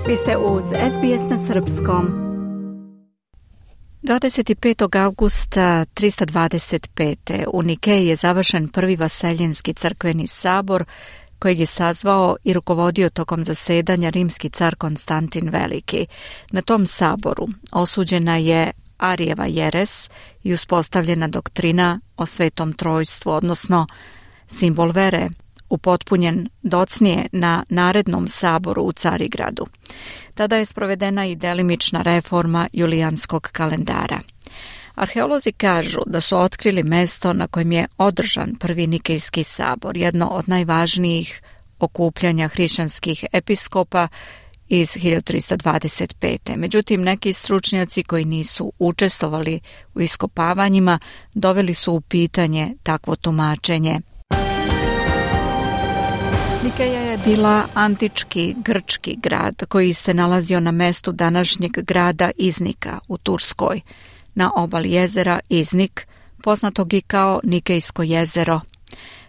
Vi ste uz SBS na srpskom. 25. augusta 325. u Nikeji je završen prvi vaseljenski crkveni sabor kojeg je sazvao i rukovodio tokom zasedanja rimski car Konstantin Veliki. Na tom saboru osuđena je Arijeva jeres i uspostavljena doktrina o Svetom Trojstvu, odnosno simbol vere, upotpunjen docnije na narednom saboru u Carigradu. Tada je sprovedena i delimična reforma julijanskog kalendara. Arheolozi kažu da su otkrili mesto na kojem je održan prvi Nikejski sabor, jedno od najvažnijih okupljanja hrišćanskih episkopa iz 1325. Međutim, neki stručnjaci koji nisu učestvovali u iskopavanjima doveli su u pitanje takvo tumačenje. Nikeja je bila antički grčki grad koji se nalazio na mestu današnjeg grada Iznika u Turskoj, na obali jezera Iznik, poznatog i kao Nikejsko jezero.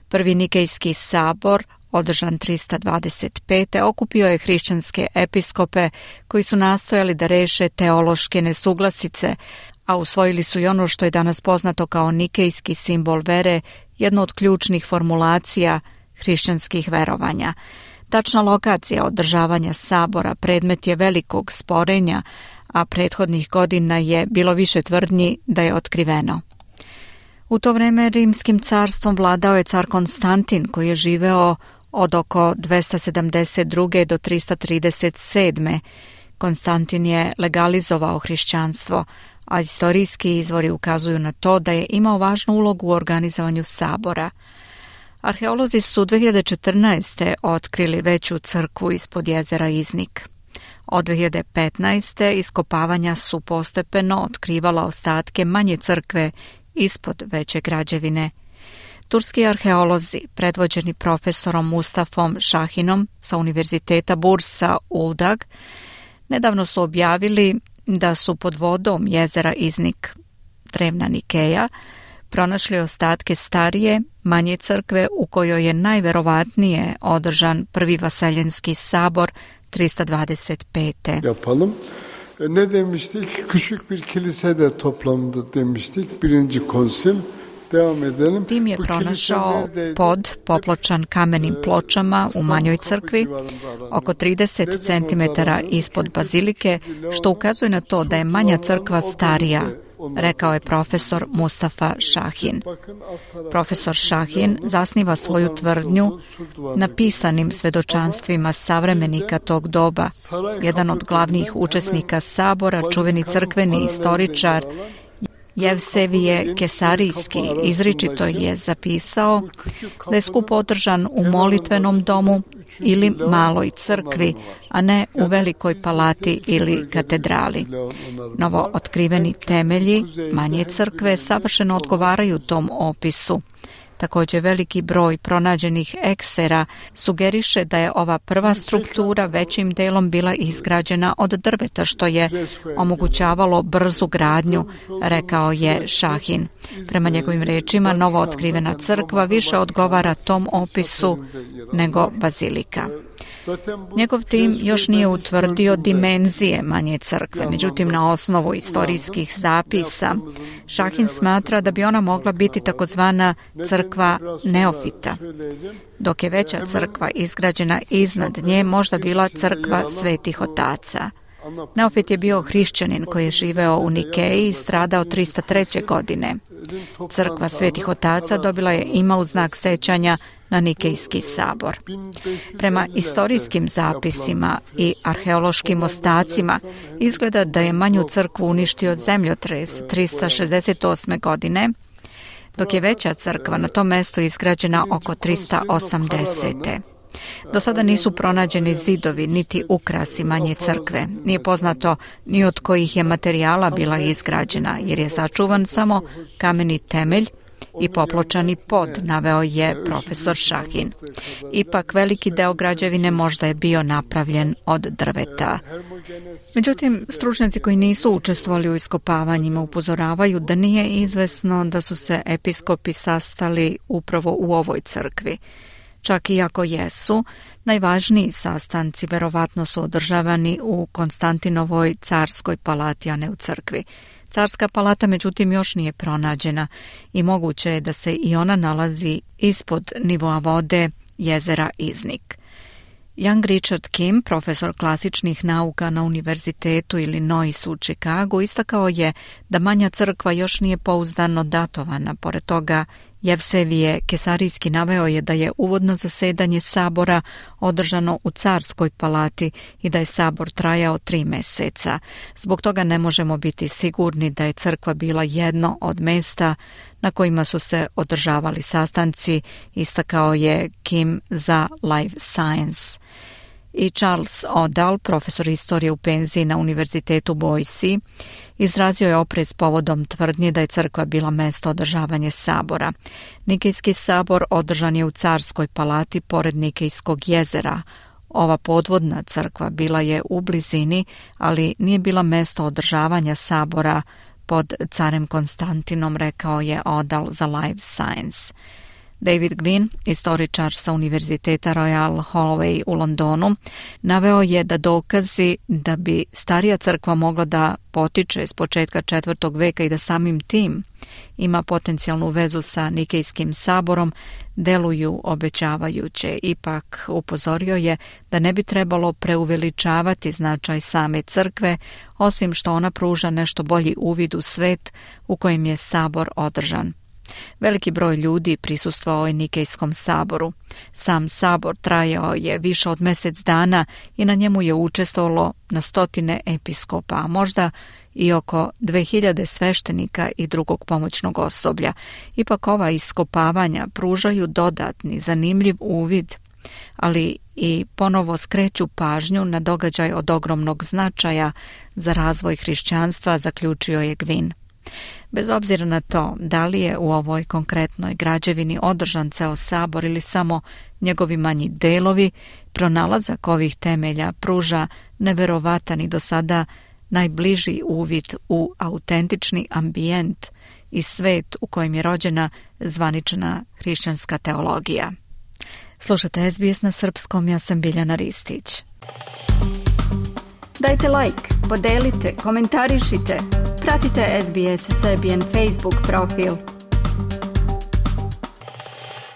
Prvi Nikejski sabor, održan 325. okupio je hrišćanske episkope koji su nastojali da reše teološke nesuglasice, a usvojili su i ono što je danas poznato kao nikejski simbol vere, jedno od ključnih formulacija hrišćanskih verovanja. Tačna lokacija održavanja sabora predmet je velikog sporenja, a prethodnih godina je bilo više tvrdnji da je otkriveno. U to vreme rimskim carstvom vladao je car Konstantin, koji je živeo od oko 272. do 337. Konstantin je legalizovao hrišćanstvo, a istorijski izvori ukazuju na to da je imao važnu ulogu u organizovanju sabora. Arheolozi su 2014. otkrili veću crkvu ispod jezera Iznik. Od 2015. iskopavanja su postepeno otkrivala ostatke manje crkve ispod veće građevine. Turski arheolozi, predvođeni profesorom Mustafom Shahinom sa Univerziteta Bursa Uldag, nedavno su objavili da su pod vodom jezera Iznik, drevna Nikeja, pronašli ostatke starije, manje crkve u kojoj je najverovatnije održan prvi vaseljenski sabor 325. Yapalım. Ne demiştik? Küçük bir kilisede toplandı demiştik. Birinci konsil. Devam edelim. Tim je pronašao pod popločan kamenim pločama u manjoj crkvi, oko 30 cm ispod bazilike, što ukazuje na to da je manja crkva starija, rekao je profesor Mustafa Shahin. Profesor Shahin zasniva svoju tvrdnju na pisanim svedočanstvima savremenika tog doba. Jedan od glavnih učesnika sabora, čuveni crkveni istoričar Jevsevije Kesarijski, izričito je zapisao da je skup održan u molitvenom domu ili maloj crkvi, a ne u velikoj palati ili katedrali. Novo otkriveni temelji manje crkve savršeno odgovaraju tom opisu. Također veliki broj pronađenih eksera sugeriše da je ova prva struktura većim delom bila izgrađena od drveta, što je omogućavalo brzu gradnju, rekao je Shahin. Prema njegovim rečima, novo otkrivena crkva više odgovara tom opisu nego bazilika. Njegov tim još nije utvrdio dimenzije manje crkve, međutim na osnovu istorijskih zapisa Shahin smatra da bi ona mogla biti takozvana crkva neofita, dok je veća crkva izgrađena iznad nje možda bila crkva svetih otaca. Neofit je bio hrišćanin koji je živeo u Nikeji i stradao 303. godine. Crkva svetih otaca dobila je ime u znak sećanja na Nikejski sabor. Prema istorijskim zapisima i arheološkim ostacima izgleda da je manju crkvu uništio zemljotres 368. godine, dok je veća crkva na tom mestu izgrađena oko 380. Do sada nisu pronađeni zidovi niti ukrasi manje crkve. Nije poznato ni od kojih je materijala bila izgrađena, jer je sačuvan samo kameni temelj i popločani pod, naveo je profesor Shahin. Ipak veliki deo građevine možda je bio napravljen od drveta. Međutim, stručnjaci koji nisu učestvovali u iskopavanjima upozoravaju da nije izvesno da su se episkopi sastali upravo u ovoj crkvi. Čak i ako jesu, najvažniji sastanci verovatno su održavani u Konstantinovoj carskoj palati, a ne u crkvi. Carska palata međutim još nije pronađena i moguće je da se i ona nalazi ispod nivoa vode jezera Iznik. Young Richard Kim, profesor klasičnih nauka na Univerzitetu Illinois u Chicagu, istakao je da manja crkva još nije pouzdano datovana. Pored toga, Jevsevije Kesarijski naveo je da je uvodno zasedanje sabora održano u carskoj palati i da je sabor trajao 3 meseca. Zbog toga ne možemo biti sigurni da je crkva bila jedno od mesta na kojima su se održavali sastanci, istakao je Kim za Live Science. I Charles Odall, profesor istorije u penziji na Univerzitetu Boise, izrazio je oprez povodom tvrdnje da je crkva bila mesto održavanja sabora. Nikejski sabor održan je u carskoj palati pored Nikejskog jezera. Ova podvodna crkva bila je u blizini, ali nije bila mesto održavanja sabora pod carem Konstantinom, rekao je Odall za Live Science. David Gwynn, istoričar sa Univerziteta Royal Holloway u Londonu, naveo je da dokazi da bi starija crkva mogla da potiče s početka 4. veka i da samim tim ima potencijalnu vezu sa Nikejskim saborom deluju obećavajuće. Ipak upozorio je da ne bi trebalo preuveličavati značaj same crkve, osim što ona pruža nešto bolji uvid u svet u kojem je sabor održan. Veliki broj ljudi prisustvovao je Nikejskom saboru. Sam sabor trajao je više od mjesec dana i na njemu je učestvovalo na 100 episkopa, a možda i oko 2000 sveštenika i drugog pomoćnog osoblja. Ipak ova iskopavanja pružaju dodatni, zanimljiv uvid, ali i ponovo skreću pažnju na događaj od ogromnog značaja za razvoj hrišćanstva, zaključio je Gwynn. Bez obzira na to da li je u ovoj konkretnoj građevini održan ceo sabor ili samo njegovi manji delovi, pronalazak ovih temelja pruža neverovatan i do sada najbliži uvid u autentični ambijent i svet u kojem je rođena zvanična hrišćanska teologija. Slušate SBS na srpskom, ja sam Biljana Ristić. Dajte like, podelite, komentarišite. Pratite SBS Serbian Facebook profil.